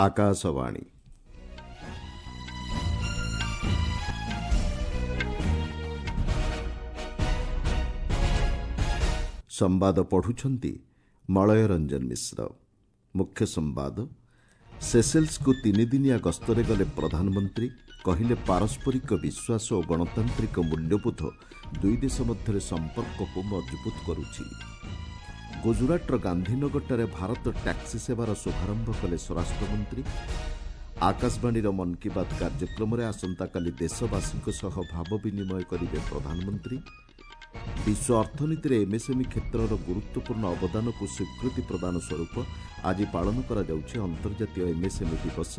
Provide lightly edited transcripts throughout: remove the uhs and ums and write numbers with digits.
ଆକାଶବାଣୀ। ସମ୍ବାଦ ପଢୁଛନ୍ତି ମଳୟ ରଞ୍ଜନ ମିଶ୍ର। ମୁଖ୍ୟ ସମ୍ବାଦ। ସେସେଲ୍ସକୁ ତିନିଦିନିଆ ଗସ୍ତରେ ଗଲେ ପ୍ରଧାନମନ୍ତ୍ରୀ। କହିଲେ, ପାରସ୍ପରିକ ବିଶ୍ୱାସ ଓ ଗଣତାନ୍ତ୍ରିକ ମୂଲ୍ୟବୋଧ ଦୁଇ ଦେଶ ମଧ୍ୟରେ ସମ୍ପର୍କକୁ ମଜବୁତ କରୁଛି। ଗୁଜରାଟର ଗାନ୍ଧୀନଗରଠାରେ ଭାରତ ଟ୍ୟାକ୍ସି ସେବାର ଶୁଭାରମ୍ଭ କଲେ ସ୍ୱରାଷ୍ଟ୍ରମନ୍ତ୍ରୀ। ଆକାଶବାଣୀର ମନ୍ କି ବାତ୍ କାର୍ଯ୍ୟକ୍ରମରେ ଆସନ୍ତାକାଲି ଦେଶବାସୀଙ୍କ ସହ ଭାବ ବିନିମୟ କରିବେ ପ୍ରଧାନମନ୍ତ୍ରୀ। ବିଶ୍ୱ ଅର୍ଥନୀତିରେ ଏମ୍ଏସ୍ଏମ୍ଇ କ୍ଷେତ୍ରର ଗୁରୁତ୍ୱପୂର୍ଣ୍ଣ ଅବଦାନକୁ ସ୍ୱୀକୃତି ପ୍ରଦାନ ସ୍ୱରୂପ ଆଜି ପାଳନ କରାଯାଉଛି ଅନ୍ତର୍ଜାତୀୟ ଏମ୍ଏସ୍ଏମ୍ଇ ଦିବସ।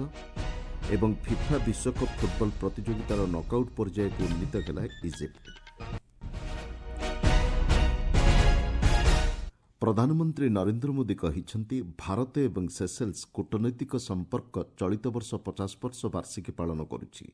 ଏବଂ ଫିଫା ବିଶ୍ୱକପ୍ ଫୁଟବଲ ପ୍ରତିଯୋଗିତାର ନକ୍ଆଉଟ୍ ପର୍ଯ୍ୟାୟକୁ ଉନ୍ନୀତ ହେଲା ଇଜିପ୍ଟ। ପ୍ରଧାନମନ୍ତ୍ରୀ ନରେନ୍ଦ୍ର ମୋଦି କହିଛନ୍ତି, ଭାରତ ଏବଂ ସେସେଲ୍ସ କୂଟନୈତିକ ସମ୍ପର୍କ ଚଳିତ ବର୍ଷ 50 ବର୍ଷ ବାର୍ଷିକୀ ପାଳନ କରୁଛି।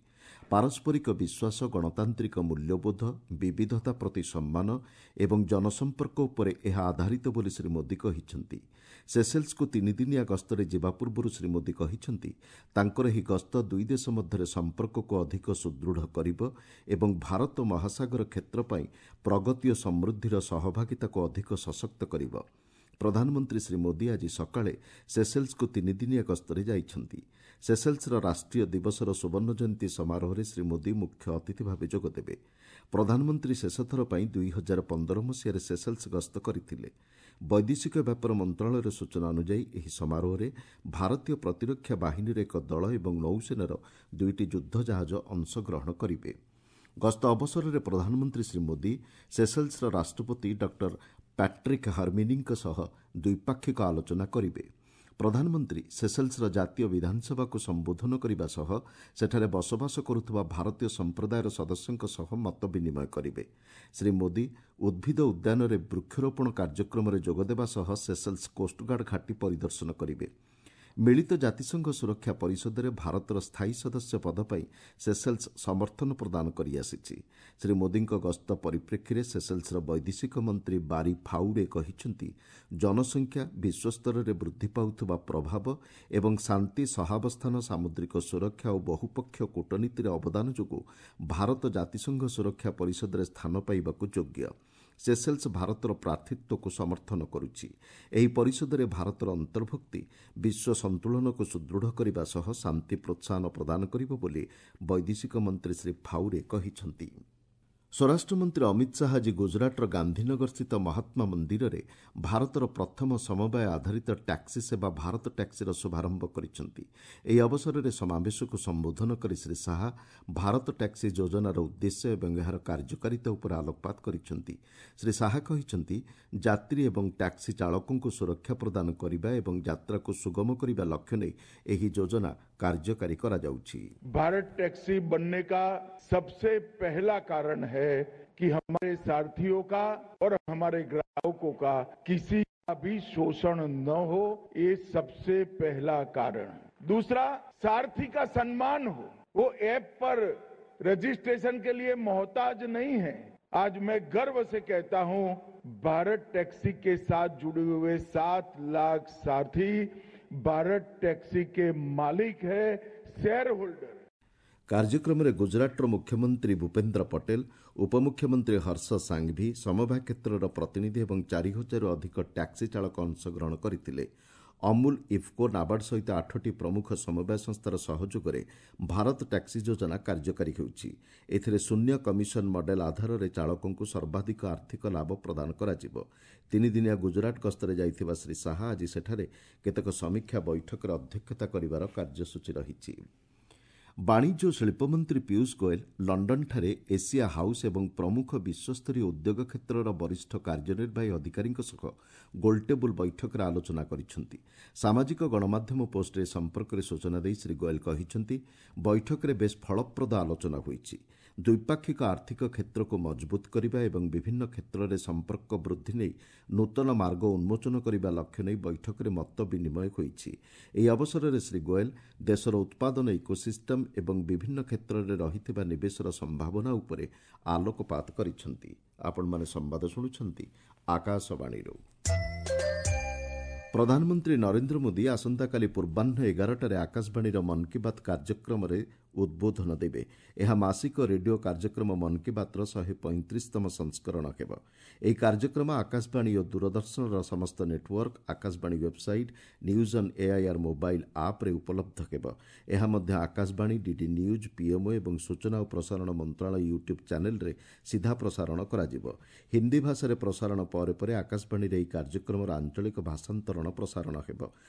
ପାରସ୍ପରିକ ବିଶ୍ୱାସ, ଗଣତାନ୍ତ୍ରିକ ମୂଲ୍ୟବୋଧ, ବିବିଧତା ପ୍ରତି ସମ୍ମାନ ଏବଂ ଜନସମ୍ପର୍କ ଉପରେ ଏହା ଆଧାରିତ ବୋଲି ଶ୍ରୀ ମୋଦି କହିଛନ୍ତି। ସେସେଲ୍ସକୁ ତିନିଦିନିଆ ଗସ୍ତରେ ଯିବା ପୂର୍ବରୁ ଶ୍ରୀ ମୋଦି କହିଛନ୍ତି, ତାଙ୍କର ଏହି ଗସ୍ତ ଦୁଇ ଦେଶ ମଧ୍ୟରେ ସମ୍ପର୍କକୁ ଅଧିକ ସୁଦୃଢ଼ କରିବ ଏବଂ ଭାରତ ମହାସାଗର କ୍ଷେତ୍ର ପାଇଁ ପ୍ରଗତି ଓ ସମୃଦ୍ଧିର ସହଭାଗିତାକୁ ଅଧିକ ସଶକ୍ତ କରିବ। ପ୍ରଧାନମନ୍ତ୍ରୀ ଶ୍ରୀ ମୋଦି ଆଜି ସକାଳେ ସେସେଲ୍ସକୁ ତିନିଦିନିଆ ଗସ୍ତରେ ଯାଇଛନ୍ତି। ସେସେଲ୍ସର ରାଷ୍ଟ୍ରୀୟ ଦିବସର ସୁବର୍ଣ୍ଣ ଜୟନ୍ତୀ ସମାରୋହରେ ଶ୍ରୀ ମୋଦି ମୁଖ୍ୟ ଅତିଥି ଭାବେ ଯୋଗଦେବେ। ପ୍ରଧାନମନ୍ତ୍ରୀ ଶେଷଥର ପାଇଁ 2015 ମସିହାରେ ସେସେଲ୍ସ ଗସ୍ତ କରିଥିଲେ। ବୈଦେଶିକ ବ୍ୟାପାର ମନ୍ତ୍ରଣାଳୟର ସୂଚନା ଅନୁଯାୟୀ, ଏହି ସମାରୋହରେ ଭାରତୀୟ ପ୍ରତିରକ୍ଷା ବାହିନୀର ଏକ ଦଳ ଏବଂ ନୌସେନାର ଦୁଇଟି ଯୁଦ୍ଧ ଜାହାଜ ଅଂଶଗ୍ରହଣ କରିବେ। ଗସ୍ତ ଅବସରରେ ପ୍ରଧାନମନ୍ତ୍ରୀ ଶ୍ରୀ ମୋଦି ସେସେଲ୍ସର ରାଷ୍ଟ୍ରପତି ଡକ୍ଟର ପ୍ୟାଟ୍ରିକ୍ ହର୍ମିନିଙ୍କ ସହ ଦ୍ୱିପାକ୍ଷିକ ଆଲୋଚନା କରିବେ। ପ୍ରଧାନମନ୍ତ୍ରୀ ସେସେଲ୍ସର ଜାତୀୟ ବିଧାନସଭାକୁ ସମ୍ବୋଧନ କରିବା ସହ ସେଠାରେ ବସବାସ କରୁଥିବା ଭାରତୀୟ ସମ୍ପ୍ରଦାୟର ସଦସ୍ୟଙ୍କ ସହ ମତ ବିନିମୟ କରିବେ। ଶ୍ରୀ ମୋଦି ଉଦ୍ଭିଦ ଉଦ୍ୟାନରେ ବୃକ୍ଷରୋପଣ କାର୍ଯ୍ୟକ୍ରମରେ ଯୋଗଦେବା ସହ ସେସେଲ୍ସ କୋଷ୍ଟଗାର୍ଡ ଘାଟି ପରିଦର୍ଶନ କରିବେ। ମିଳିତ ଜାତିସଂଘ ସୁରକ୍ଷା ପରିଷଦରେ ଭାରତର ସ୍ଥାୟୀ ସଦସ୍ୟ ପଦ ପାଇଁ ସେସେଲ୍ସ ସମର୍ଥନ ପ୍ରଦାନ କରିଆସିଛି। ଶ୍ରୀ ମୋଦିଙ୍କ ଗସ୍ତ ପରିପ୍ରେକ୍ଷୀରେ ସେସେଲ୍ସର ବୈଦେଶିକ ମନ୍ତ୍ରୀ ବାରି ଫାଉଡେ କହିଛନ୍ତି, ଜନସଂଖ୍ୟା, ବିଶ୍ୱସ୍ତରରେ ବୃଦ୍ଧି ପାଉଥିବା ପ୍ରଭାବ ଏବଂ ଶାନ୍ତି, ସହାବସ୍ଥାନ, ସାମୁଦ୍ରିକ ସୁରକ୍ଷା ଓ ବହୁପକ୍ଷୀୟ କୂଟନୀତିରେ ଅବଦାନ ଯୋଗୁଁ ଭାରତ ଜାତିସଂଘ ସୁରକ୍ଷା ପରିଷଦରେ ସ୍ଥାନ ପାଇବାକୁ ଯୋଗ୍ୟ। ସେସେଲ୍ସ ଭାରତର ପ୍ରାର୍ଥୀତ୍ୱକୁ ସମର୍ଥନ କରୁଛି। ଏହି ପରିଷଦରେ ଭାରତର ଅନ୍ତର୍ଭୁକ୍ତି ବିଶ୍ୱ ସନ୍ତୁଳନକୁ ସୁଦୃଢ଼ କରିବା ସହ ଶାନ୍ତି ପ୍ରୋତ୍ସାହନ ପ୍ରଦାନ କରିବ ବୋଲି ବୈଦେଶିକ ମନ୍ତ୍ରୀ ଶ୍ରୀ ଫାଉରେ କହିଛନ୍ତି। ସ୍ୱରାଷ୍ଟ୍ରମନ୍ତ୍ରୀ ଅମିତ ଶାହା ଆଜି ଗୁଜରାଟର ଗାନ୍ଧୀନଗରସ୍ଥିତ ମହାତ୍ମା ମନ୍ଦିରରେ ଭାରତର ପ୍ରଥମ ସମବାୟ ଆଧାରିତ ଟ୍ୟାକ୍ସି ସେବା ଭାରତ ଟ୍ୟାକ୍ସିର ଶୁଭାରମ୍ଭ କରିଛନ୍ତି। ଏହି ଅବସରରେ ସମାବେଶକୁ ସମ୍ବୋଧନ କରି ଶ୍ରୀ ଶାହା ଭାରତ ଟ୍ୟାକ୍ସି ଯୋଜନାର ଉଦ୍ଦେଶ୍ୟ ଏବଂ ଏହାର କାର୍ଯ୍ୟକାରିତା ଉପରେ ଆଲୋକପାତ କରିଛନ୍ତି। ଶ୍ରୀ ଶାହା କହିଛନ୍ତି, ଯାତ୍ରୀ ଏବଂ ଟ୍ୟାକ୍ସି ଚାଳକଙ୍କୁ ସୁରକ୍ଷା ପ୍ରଦାନ କରିବା ଏବଂ ଯାତ୍ରାକୁ ସୁଗମ କରିବା ଲକ୍ଷ୍ୟ ନେଇ ଏହି ଯୋଜନା କାର୍ଯ୍ୟକାରୀ କରାଯାଉଛି। ଭାରତ ଟ୍ୟାକ୍ସି बनने का सबसे पहला कारण है कि हमारे सारथियों का और हमारे ग्राहकों का किसी का भी शोषण न हो, ये सबसे पहला कारण। दूसरा, सारथी का सम्मान हो, वो ऐप पर रजिस्ट्रेशन के लिए मोहताज नहीं है। आज मैं गर्व से कहता हूं, भारत टैक्सी के साथ जुड़े हुए 7 लाख सारथी भारत टैक्सी के मालिक है, शेयर होल्डर। କାର୍ଯ୍ୟକ୍ରମରେ ଗୁଜରାଟର ମୁଖ୍ୟମନ୍ତ୍ରୀ ଭୂପେନ୍ଦ୍ର ପଟେଲ, ଉପମୁଖ୍ୟମନ୍ତ୍ରୀ ହର୍ଷ ସାଙ୍ଘଭି, ସମବାୟ କ୍ଷେତ୍ରର ପ୍ରତିନିଧି ଏବଂ 4000ରୁ ଅଧିକ ଟ୍ୟାକ୍ସି ଚାଳକ ଅଂଶଗ୍ରହଣ କରିଥିଲେ। ଅମୁଲ, ଇଫ୍କୋ, ନାବାର୍ଡ ସହିତ 8ଟି ପ୍ରମୁଖ ସମବାୟ ସଂସ୍ଥାର ସହଯୋଗରେ ଭାରତ ଟ୍ୟାକ୍ସି ଯୋଜନା କାର୍ଯ୍ୟକାରୀ ହେଉଛି। ଏଥିରେ ଶୂନ୍ୟ କମିଶନ ମଡେଲ ଆଧାରରେ ଚାଳକଙ୍କୁ ସର୍ବାଧିକ ଆର୍ଥିକ ଲାଭ ପ୍ରଦାନ କରାଯିବ। ତିନିଦିନିଆ ଗୁଜରାଟ ଗସ୍ତରେ ଯାଇଥିବା ଶ୍ରୀ ଶାହା ଆଜି ସେଠାରେ କେତେକ ସମୀକ୍ଷା ବୈଠକରେ ଅଧ୍ୟକ୍ଷତା କରିବାର କାର୍ଯ୍ୟସୂଚୀ ରହିଛି। ବାଣିଜ୍ୟ ଓ ଶିଳ୍ପମନ୍ତ୍ରୀ ପୀୟୁଷ ଗୋଏଲ ଲଣ୍ଡନଠାରେ ଏସିଆ ହାଉସ୍ ଏବଂ ପ୍ରମୁଖ ବିଶ୍ୱସ୍ତରୀୟ ଉଦ୍ୟୋଗ କ୍ଷେତ୍ରର ବରିଷ୍ଠ କାର୍ଯ୍ୟନିର୍ବାହୀ ଅଧିକାରୀଙ୍କ ସହ ଗୋଲଟେବୁଲ ବୈଠକରେ ଆଲୋଚନା କରିଛନ୍ତି। ସାମାଜିକ ଗଣମାଧ୍ୟମ ପୋଷ୍ଟରେ ଏ ସମ୍ପର୍କରେ ସୂଚନା ଦେଇ ଶ୍ରୀ ଗୋଏଲ କହିଛନ୍ତି, ବୈଠକରେ ବେଶ୍ ଫଳପ୍ରଦ ଆଲୋଚନା ହୋଇଛି। ଦ୍ୱିପାକ୍ଷିକ ଆର୍ଥିକ କ୍ଷେତ୍ରକୁ ମଜବୁତ କରିବା ଏବଂ ବିଭିନ୍ନ କ୍ଷେତ୍ରରେ ସମ୍ପର୍କ ବୃଦ୍ଧି ନେଇ ନୂତନ ମାର୍ଗ ଉନ୍ମୋଚନ କରିବା ଲକ୍ଷ୍ୟ ନେଇ ବୈଠକରେ ମତ ବିନିମୟ ହୋଇଛି। ଏହି ଅବସରରେ ଶ୍ରୀ ଗୋଏଲ ଦେଶର ଉତ୍ପାଦନ ଇକୋସିଷ୍ଟମ ଏବଂ ବିଭିନ୍ନ କ୍ଷେତ୍ରରେ ରହିଥିବା ନିବେଶର ସମ୍ଭାବନା ଉପରେ ଆଲୋକପାତ କରିଛନ୍ତି। ଆପଣମାନେ ସମ୍ବାଦ ଶୁଣୁଛନ୍ତି ଆକାଶବାଣୀରୁ। ପ୍ରଧାନମନ୍ତ୍ରୀ ନରେନ୍ଦ୍ର ମୋଦି ଆସନ୍ତାକାଲି ପୂର୍ବାହ୍ନ 11ଟାରେ ଆକାଶବାଣୀର ମନ୍ କି ବାତ୍ କାର୍ଯ୍ୟକ୍ରମରେ ଉଦ୍ବୋଧନ ଦେବେ। ଏହା ମାସିକ ରେଡିଓ କାର୍ଯ୍ୟକ୍ରମ ମନ୍ କି ବାତ୍ର 135ତମ ସଂସ୍କରଣ ହେବ। ଏହି କାର୍ଯ୍ୟକ୍ରମ ଆକାଶବାଣୀ ଓ ଦୂରଦର୍ଶନର ସମସ୍ତ network, Akashvani website, news on AIR mobile ଆପ୍ରେ ଉପଲବ୍ଧ ହେବ। ଏହା ମଧ୍ୟ ଆକାଶବାଣୀ, ଡିଡି ନ୍ୟୁଜ୍, ପିଏମ୍ଓ ଏବଂ ସୂଚନା ଓ ପ୍ରସାରଣ ମନ୍ତ୍ରଣାଳୟ ୟୁଟ୍ୟୁବ୍ ଚ୍ୟାନେଲ୍ରେ ସିଧା ପ୍ରସାରଣ କରାଯିବ। ହିନ୍ଦୀ ଭାଷାରେ ପ୍ରସାରଣ ପରେ ପରେ ଆକାଶବାଣୀରେ ଏହି କାର୍ଯ୍ୟକ୍ରମର ଆଞ୍ଚଳିକ ଭାଷାନ୍ତରଣ ପ୍ରସାରଣ ହେବ।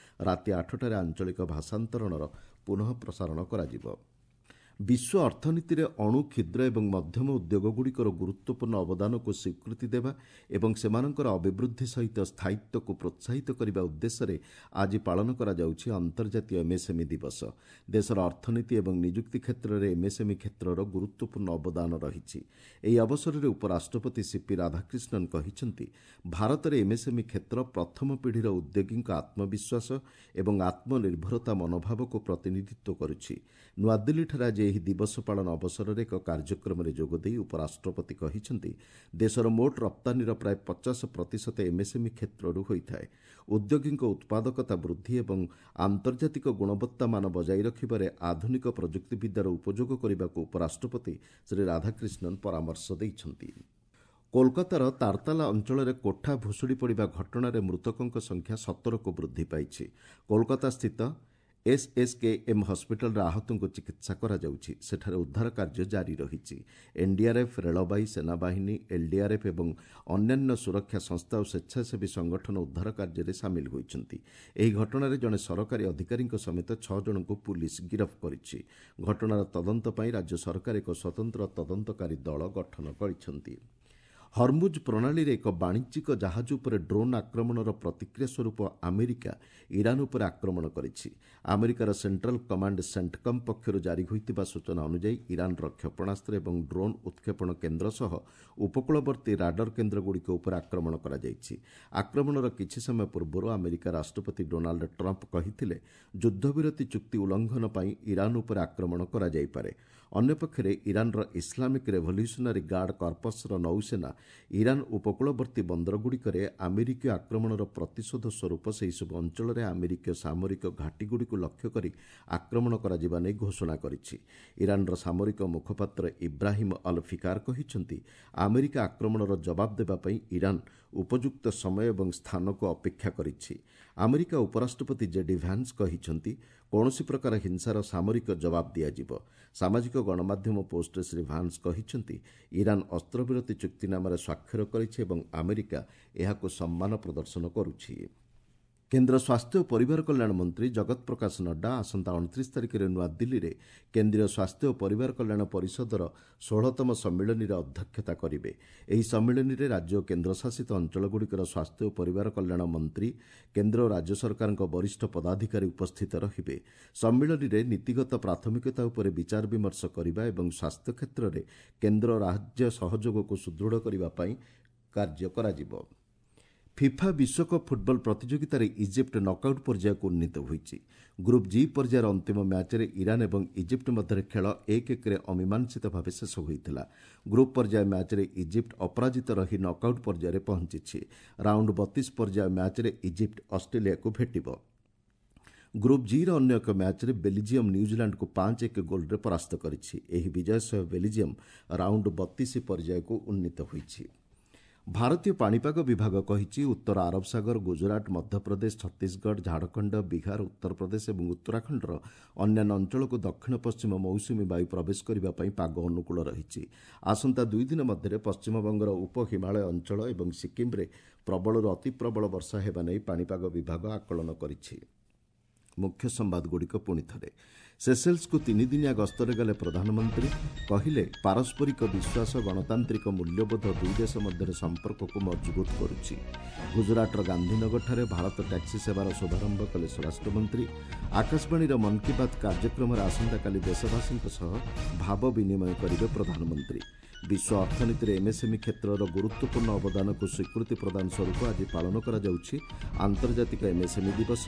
ରାତି 8ଟାରେ ଆଞ୍ଚଳିକ ଭାଷାନ୍ତରଣର ପୁନଃ ପ୍ରସାରଣ କରାଯିବ। ବିଶ୍ୱ ଅର୍ଥନୀତିରେ ଅଣୁ, କ୍ଷୁଦ୍ର ଏବଂ ମଧ୍ୟମ ଉଦ୍ୟୋଗଗୁଡ଼ିକର ଗୁରୁତ୍ୱପୂର୍ଣ୍ଣ ଅବଦାନକୁ ସ୍ୱୀକୃତି ଦେବା ଏବଂ ସେମାନଙ୍କର ଅଭିବୃଦ୍ଧି ସହିତ ସ୍ଥାୟିତ୍ୱକୁ ପ୍ରୋତ୍ସାହିତ କରିବା ଉଦ୍ଦେଶ୍ୟରେ ଆଜି ପାଳନ କରାଯାଉଛି ଅନ୍ତର୍ଜାତୀୟ ଏମ୍ଏସ୍ଏମ୍ଇ ଦିବସ। ଦେଶର ଅର୍ଥନୀତି ଏବଂ ନିଯୁକ୍ତି କ୍ଷେତ୍ରରେ ଏମ୍ଏସ୍ଏମ୍ଇ କ୍ଷେତ୍ରର ଗୁରୁତ୍ୱପୂର୍ଣ୍ଣ ଅବଦାନ ରହିଛି। ଏହି ଅବସରରେ ଉପରାଷ୍ଟ୍ରପତି ସିପି ରାଧାକ୍ରିଷ୍ଣନ୍ କହିଛନ୍ତି, ଭାରତରେ ଏମ୍ଏସ୍ଏମ୍ଇ କ୍ଷେତ୍ର ପ୍ରଥମ ପିଢ଼ିର ଉଦ୍ୟୋଗୀଙ୍କ ଆତ୍ମବିଶ୍ୱାସ ଏବଂ ଆତ୍ମନିର୍ଭରତା ମନୋଭାବକୁ ପ୍ରତିନିଧିତ୍ୱ କରୁଛି। ନୂଆଦିଲ୍ଲୀଠାରେ ଆଜି ଏହି ଦିବସ ପାଳନ ଅବସରରେ ଏକ କାର୍ଯ୍ୟକ୍ରମରେ ଯୋଗଦେଇ ଉପରାଷ୍ଟ୍ରପତି କହିଛନ୍ତି, ଦେଶର ମୋଟ ରପ୍ତାନୀର ପ୍ରାୟ 50% ଏମ୍ଏସ୍ଏମ୍ଇ କ୍ଷେତ୍ରରୁ ହୋଇଥାଏ। ଉଦ୍ୟୋଗୀଙ୍କ ଉତ୍ପାଦକତା ବୃଦ୍ଧି ଏବଂ ଆନ୍ତର୍ଜାତିକ ଗୁଣବତ୍ତା ମାନ ବଜାୟ ରଖିବାରେ ଆଧୁନିକ ପ୍ରଯୁକ୍ତିବିଦ୍ୟାର ଉପଯୋଗ କରିବାକୁ ଉପରାଷ୍ଟ୍ରପତି ଶ୍ରୀ ରାଧାକ୍ରିଷ୍ଣନ୍ ପରାମର୍ଶ ଦେଇଛନ୍ତି। କୋଲକାତାର ତାରତାଲା ଅଞ୍ଚଳରେ କୋଠା ଭୁଶୁଡ଼ି ପଡ଼ିବା ଘଟଣାରେ ମୃତକଙ୍କ ସଂଖ୍ୟା 17କୁ ବୃଦ୍ଧି ପାଇଛି। କୋଲକାତାସ୍ଥିତ ଏସ୍ଏସ୍କେଏମ୍ ହସ୍ପିଟାଲରେ ଆହତଙ୍କୁ ଚିକିତ୍ସା କରାଯାଉଛି। ସେଠାରେ ଉଦ୍ଧାର କାର୍ଯ୍ୟ ଜାରି ରହିଛି। ଏନ୍ଡିଆର୍ଏଫ୍, ରେଳବାଇ, ସେନାବାହିନୀ, ଏଲ୍ଡିଆର୍ଏଫ୍ ଏବଂ ଅନ୍ୟାନ୍ୟ ସୁରକ୍ଷା ସଂସ୍ଥା ଓ ସ୍ୱେଚ୍ଛାସେବୀ ସଂଗଠନ ଉଦ୍ଧାର କାର୍ଯ୍ୟରେ ସାମିଲ ହୋଇଛନ୍ତି। ଏହି ଘଟଣାରେ ଜଣେ ସରକାରୀ ଅଧିକାରୀଙ୍କ ସମେତ 6 ଜଣଙ୍କୁ ପୁଲିସ୍ ଗିରଫ କରିଛି। ଘଟଣାର ତଦନ୍ତ ପାଇଁ ରାଜ୍ୟ ସରକାର ଏକ ସ୍ୱତନ୍ତ୍ର ତଦନ୍ତକାରୀ ଦଳ ଗଠନ କରିଛନ୍ତି। ହର୍ମୁଜ୍ ପ୍ରଣାଳୀରେ ଏକ ବାଣିଜ୍ୟିକ ଜାହାଜ ଉପରେ ଡ୍ରୋନ୍ ଆକ୍ରମଣର ପ୍ରତିକ୍ରିୟା ସ୍ୱରୂପ ଆମେରିକା ଇରାନ୍ ଉପରେ ଆକ୍ରମଣ କରିଛି। ଆମେରିକାର ସେଣ୍ଟ୍ରାଲ୍ କମାଣ୍ଡ ସେଣ୍ଟକମ୍ ପକ୍ଷରୁ ଜାରି ହୋଇଥିବା ସୂଚନା ଅନୁଯାୟୀ ଇରାନ୍ର କ୍ଷେପଣାସ୍ତ୍ର ଏବଂ ଡ୍ରୋନ୍ ଉତ୍କ୍ଷେପଣ କେନ୍ଦ୍ର ସହ ଉପକୂଳବର୍ତ୍ତୀ ରାଡର କେନ୍ଦ୍ରଗୁଡ଼ିକ ଉପରେ ଆକ୍ରମଣ କରାଯାଇଛି। ଆକ୍ରମଣର କିଛି ସମୟ ପୂର୍ବରୁ ଆମେରିକା ରାଷ୍ଟ୍ରପତି ଡୋନାଲ୍ଡ ଟ୍ରମ୍ପ କହିଥିଲେ, ଯୁଦ୍ଧବିରତି ଚୁକ୍ତି ଉଲ୍ଲଂଘନ ପାଇଁ ଇରାନ୍ ଉପରେ ଆକ୍ରମଣ କରାଯାଇପାରେ। ଅନ୍ୟପକ୍ଷରେ ଇରାନ୍ର ଇସଲାମିକ୍ ରେଭଲ୍ୟୁସନାରୀ ଗାର୍ଡ କର୍ପସ୍ର ନୌସେନା ଇରାନ୍ ଉପକୂଳବର୍ତ୍ତୀ ବନ୍ଦରଗୁଡ଼ିକରେ ଆମେରିକୀୟ ଆକ୍ରମଣର ପ୍ରତିଶୋଧ ସ୍ୱରୂପ ସେହିସବୁ ଅଞ୍ଚଳରେ ଆମେରିକୀୟ ସାମରିକ ଘାଟିଗୁଡ଼ିକୁ ଲକ୍ଷ୍ୟ କରି ଆକ୍ରମଣ କରାଯିବା ନେଇ ଘୋଷଣା କରିଛି। ଇରାନ୍ର ସାମରିକ ମୁଖପାତ୍ର ଇବ୍ରାହିମ୍ ଅଲ୍ ଫିକାର କହିଛନ୍ତି, ଆମେରିକା ଆକ୍ରମଣର ଜବାବ ଦେବା ପାଇଁ ଇରାନ୍ ଉପଯୁକ୍ତ ସମୟ ଏବଂ ସ୍ଥାନକୁ ଅପେକ୍ଷା କରିଛି। ଆମେରିକା ଉପରାଷ୍ଟ୍ରପତି ଜେଡି ଭ୍ୟାନ୍ସ କହିଛନ୍ତି, କୌଣସି ପ୍ରକାର ହିଂସାର ସାମରିକ ଜବାବ ଦିଆଯିବ। ସାମାଜିକ ଗଣମାଧ୍ୟମ ପୋଷ୍ଟରେ ଶ୍ରୀ ଭାନ୍ସ କହିଛନ୍ତି, ଇରାନ୍ ଅସ୍ତ୍ରବିରତି ଚୁକ୍ତିନାମାରେ ସ୍ୱାକ୍ଷର କରିଛି ଏବଂ ଆମେରିକା ଏହାକୁ ସମ୍ମାନ ପ୍ରଦର୍ଶନ କରୁଛି। କେନ୍ଦ୍ର ସ୍ୱାସ୍ଥ୍ୟ ଓ ପରିବାର କଲ୍ୟାଣ ମନ୍ତ୍ରୀ ଜଗତ ପ୍ରକାଶ ନଡ୍ଡା ଆସନ୍ତା 29 ତାରିଖରେ ନୂଆଦିଲ୍ଲୀରେ କେନ୍ଦ୍ରୀୟ ସ୍ୱାସ୍ଥ୍ୟ ଓ ପରିବାର କଲ୍ୟାଣ ପରିଷଦର 16ତମ ସମ୍ମିଳନୀରେ ଅଧ୍ୟକ୍ଷତା କରିବେ। ଏହି ସମ୍ମିଳନୀରେ ରାଜ୍ୟ ଓ କେନ୍ଦ୍ରଶାସିତ ଅଞ୍ଚଳଗୁଡ଼ିକର ସ୍ୱାସ୍ଥ୍ୟ ଓ ପରିବାର କଲ୍ୟାଣ ମନ୍ତ୍ରୀ, କେନ୍ଦ୍ର ଓ ରାଜ୍ୟ ସରକାରଙ୍କ ବରିଷ୍ଠ ପଦାଧିକାରୀ ଉପସ୍ଥିତ ରହିବେ। ସମ୍ମିଳନୀରେ ନୀତିଗତ ପ୍ରାଥମିକତା ଉପରେ ବିଚାର ବିମର୍ଶ କରିବା ଏବଂ ସ୍ୱାସ୍ଥ୍ୟ କ୍ଷେତ୍ରରେ କେନ୍ଦ୍ର ରାଜ୍ୟ ସହଯୋଗକୁ ସୁଦୃଢ଼ କରିବା ପାଇଁ କାର୍ଯ୍ୟ କରାଯିବ। ଫିଫା ବିଶ୍ୱକପ୍ ଫୁଟବଲ ପ୍ରତିଯୋଗିତାରେ ଇଜିପ୍ଟ ନକ୍ଆଉଟ୍ ପର୍ଯ୍ୟାୟକୁ ଉନ୍ନୀତ ହୋଇଛି। ଗ୍ରୁପ୍ ଜି ପର୍ଯ୍ୟାୟର ଅନ୍ତିମ ମ୍ୟାଚ୍ରେ ଇରାନ୍ ଏବଂ ଇଜିପ୍ଟ ମଧ୍ୟରେ ଖେଳ 1-1ରେ ଅମୀମାଂସିତ ଭାବେ ଶେଷ ହୋଇଥିଲା। ଗ୍ରୁପ୍ ପର୍ଯ୍ୟାୟ ମ୍ୟାଚ୍ରେ ଇଜିପ୍ଟ ଅପରାଜିତ ରହି ନକ୍ଆଉଟ୍ ପର୍ଯ୍ୟାୟରେ ପହଞ୍ଚିଛି। ରାଉଣ୍ଡ 32 ପର୍ଯ୍ୟାୟ ମ୍ୟାଚ୍ରେ ଇଜିପ୍ଟ ଅଷ୍ଟ୍ରେଲିଆକୁ ଭେଟିବ। ଗ୍ରୁପ୍ ଜିର ଅନ୍ୟ ଏକ ମ୍ୟାଚ୍ରେ ବେଲିଜିୟମ୍ ନ୍ୟୁଜିଲାଣ୍ଡକୁ 5-1 ଗୋଲ୍ରେ ପରାସ୍ତ କରିଛି। ଏହି ବିଜୟ ସହ ବେଲିଜିୟମ୍ ରାଉଣ୍ଡ 32 ପର୍ଯ୍ୟାୟକୁ ଉନ୍ନୀତ ହୋଇଛି। ଭାରତୀୟ ପାଣିପାଗ ବିଭାଗ କହିଛି, ଉତ୍ତର ଆରବ ସାଗର, ଗୁଜରାଟ, ମଧ୍ୟପ୍ରଦେଶ, ଛତିଶଗଡ଼, ଝାଡ଼ଖଣ୍ଡ, ବିହାର, ଉତ୍ତରପ୍ରଦେଶ ଏବଂ ଉତ୍ତରାଖଣ୍ଡର ଅନ୍ୟାନ୍ୟ ଅଞ୍ଚଳକୁ ଦକ୍ଷିଣ ପଶ୍ଚିମ ମୌସୁମୀ ବାୟୁ ପ୍ରବେଶ କରିବା ପାଇଁ ପାଗ ଅନୁକୂଳ ରହିଛି। ଆସନ୍ତା 2 ଦିନ ମଧ୍ୟରେ ପଶ୍ଚିମବଙ୍ଗର ଉପ ହିମାଳୟ ଅଞ୍ଚଳ ଏବଂ ସିକ୍କିମ୍ରେ ପ୍ରବଳରୁ ଅତିପ୍ରବଳ ବର୍ଷା ହେବା ନେଇ ପାଣିପାଗ ବିଭାଗ ଆକଳନ କରିଛି। ମୁଖ୍ୟ ସମ୍ବାଦଗୁଡ଼ିକ ପୁଣି ଥରେ। ସେସେଲ୍ସକୁ 3 ଦିନିଆ ଗସ୍ତରେ ଗଲେ ପ୍ରଧାନମନ୍ତ୍ରୀ। କହିଲେ, ପାରସ୍ପରିକ ବିଶ୍ୱାସ, ଗଣତାନ୍ତ୍ରିକ ମୂଲ୍ୟବୋଧ ଦୁଇ ଦେଶ ମଧ୍ୟରେ ସମ୍ପର୍କକୁ ମଜବୁତ କରୁଛି। ଗୁଜରାଟର ଗାନ୍ଧୀନଗରଠାରେ ଭାରତ ଟ୍ୟାକ୍ସି ସେବାର ଶୁଭାରମ୍ଭ କଲେ ସ୍ୱରାଷ୍ଟ୍ରମନ୍ତ୍ରୀ। ଆକାଶବାଣୀର ମନ୍ କି ବାତ୍ କାର୍ଯ୍ୟକ୍ରମରେ ଆସନ୍ତାକାଲି ଦେଶବାସୀଙ୍କ ସହ ଭାବ ବିନିମୟ କରିବେ ପ୍ରଧାନମନ୍ତ୍ରୀ। ବିଶ୍ୱ ଅର୍ଥନୀତିରେ ଏମ୍ଏସ୍ଏମ୍ଇ କ୍ଷେତ୍ରର ଗୁରୁତ୍ୱପୂର୍ଣ୍ଣ ଅବଦାନକୁ ସ୍ୱୀକୃତି ପ୍ରଦାନ ସ୍ୱରୂପ ଆଜି ପାଳନ କରାଯାଉଛି ଆନ୍ତର୍ଜାତିକ ଏମ୍ଏସ୍ଏମ୍ଇ ଦିବସ।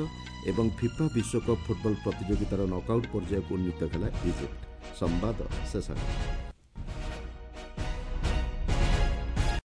ଏବଂ ଫିଫା ବିଶ୍ୱକପ୍ ଫୁଟବଲ ପ୍ରତିଯୋଗିତାର ନକ୍ଆଉଟ୍ ପର୍ଯ୍ୟାୟକୁ ଉନ୍ନୀତ ହେଲା ଇଜିପ୍ଟ। ସମ୍ବାଦ ଶେଷ ହେଲା।